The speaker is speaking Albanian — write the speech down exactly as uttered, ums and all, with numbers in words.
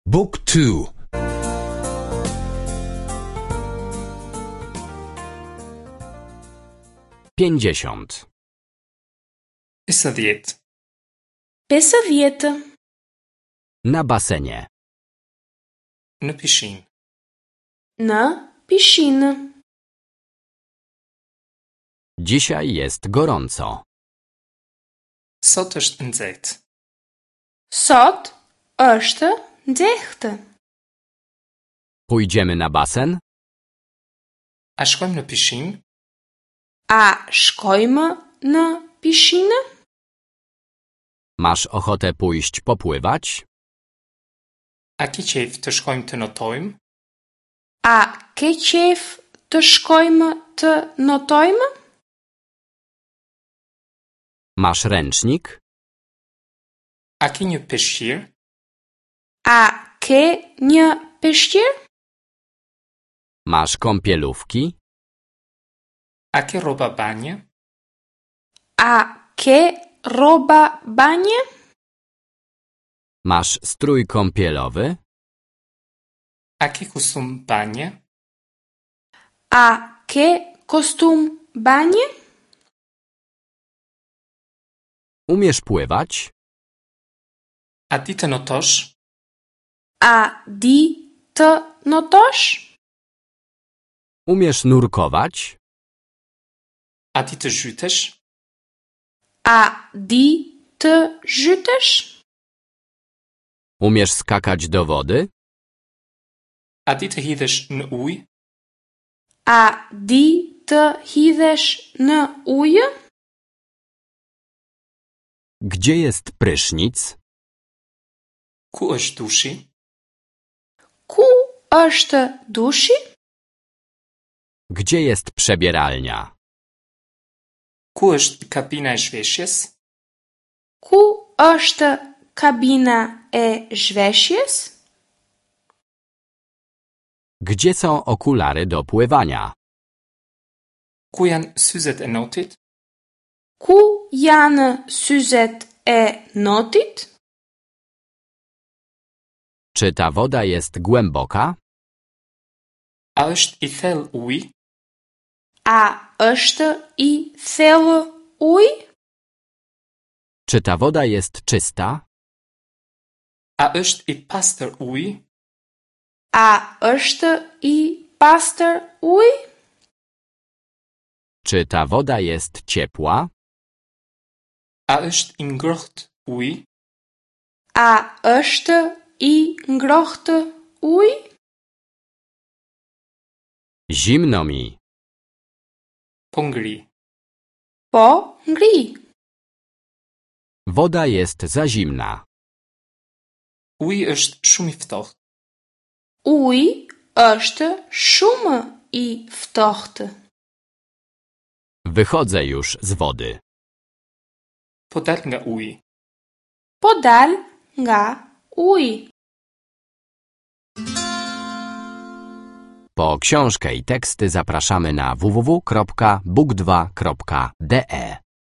Book two. Pięćdziesiąt. Pesëdhjetë. Pesëdhjetë. Na basenie. Në pishinë. Në pishinë. Dzisiaj jest gorąco. Sot është nxehtë. Sot është nxehtë. Pójdziemy na basen? A shkojmë në pishinë? A shkojmë në pishinë? Masz ochotę pójść popływać? A ke qejf të shkojmë të notojmë? A ke qejf të shkojmë të notojmë? Masz ręcznik? A ke një peshqir? A ke një peshqir? Masz kąpielówki? A ke rroba banje? A ke rroba banje? Masz strój kąpielowy? A ke kostum banje? A ke kostum banje? Umiesz pływać? A di të notosh? A di të notosh? Umiesz nurkować? A di të zhytesh? A di të zhytesh? Umiesz skakać do wody? A di të hidhesh në ujë? A di të hidhesh në ujë? Gdzie jest prysznic? Ku është dushi? Ku është dushi? Gdzie jest przebieralnia? Ku është kabina e zhveshjes? Ku është kabina e zhveshjes? Gdzie są okulary do pływania? Ku janë syzet e notit? Ku janë syzet e notit? Czy ta woda jest głęboka? A është i thellë uji? A është i thellë uji? Czy ta woda jest czysta? A është i pastër uji? A është i pastër uji? Czy ta woda jest ciepła? A është i ngrohtë uji? A është i ngrohtë uji? Zimno mi. Po ngri. Po ngri. Woda jest za zimna. Uji është shumë i ftohtë. Uji është shumë i ftohtë. Wychodzę już z wody. Po dal nga uji. Po dal nga uji. Po książkę i teksty zapraszamy na w w w kropka book dwa kropka d e.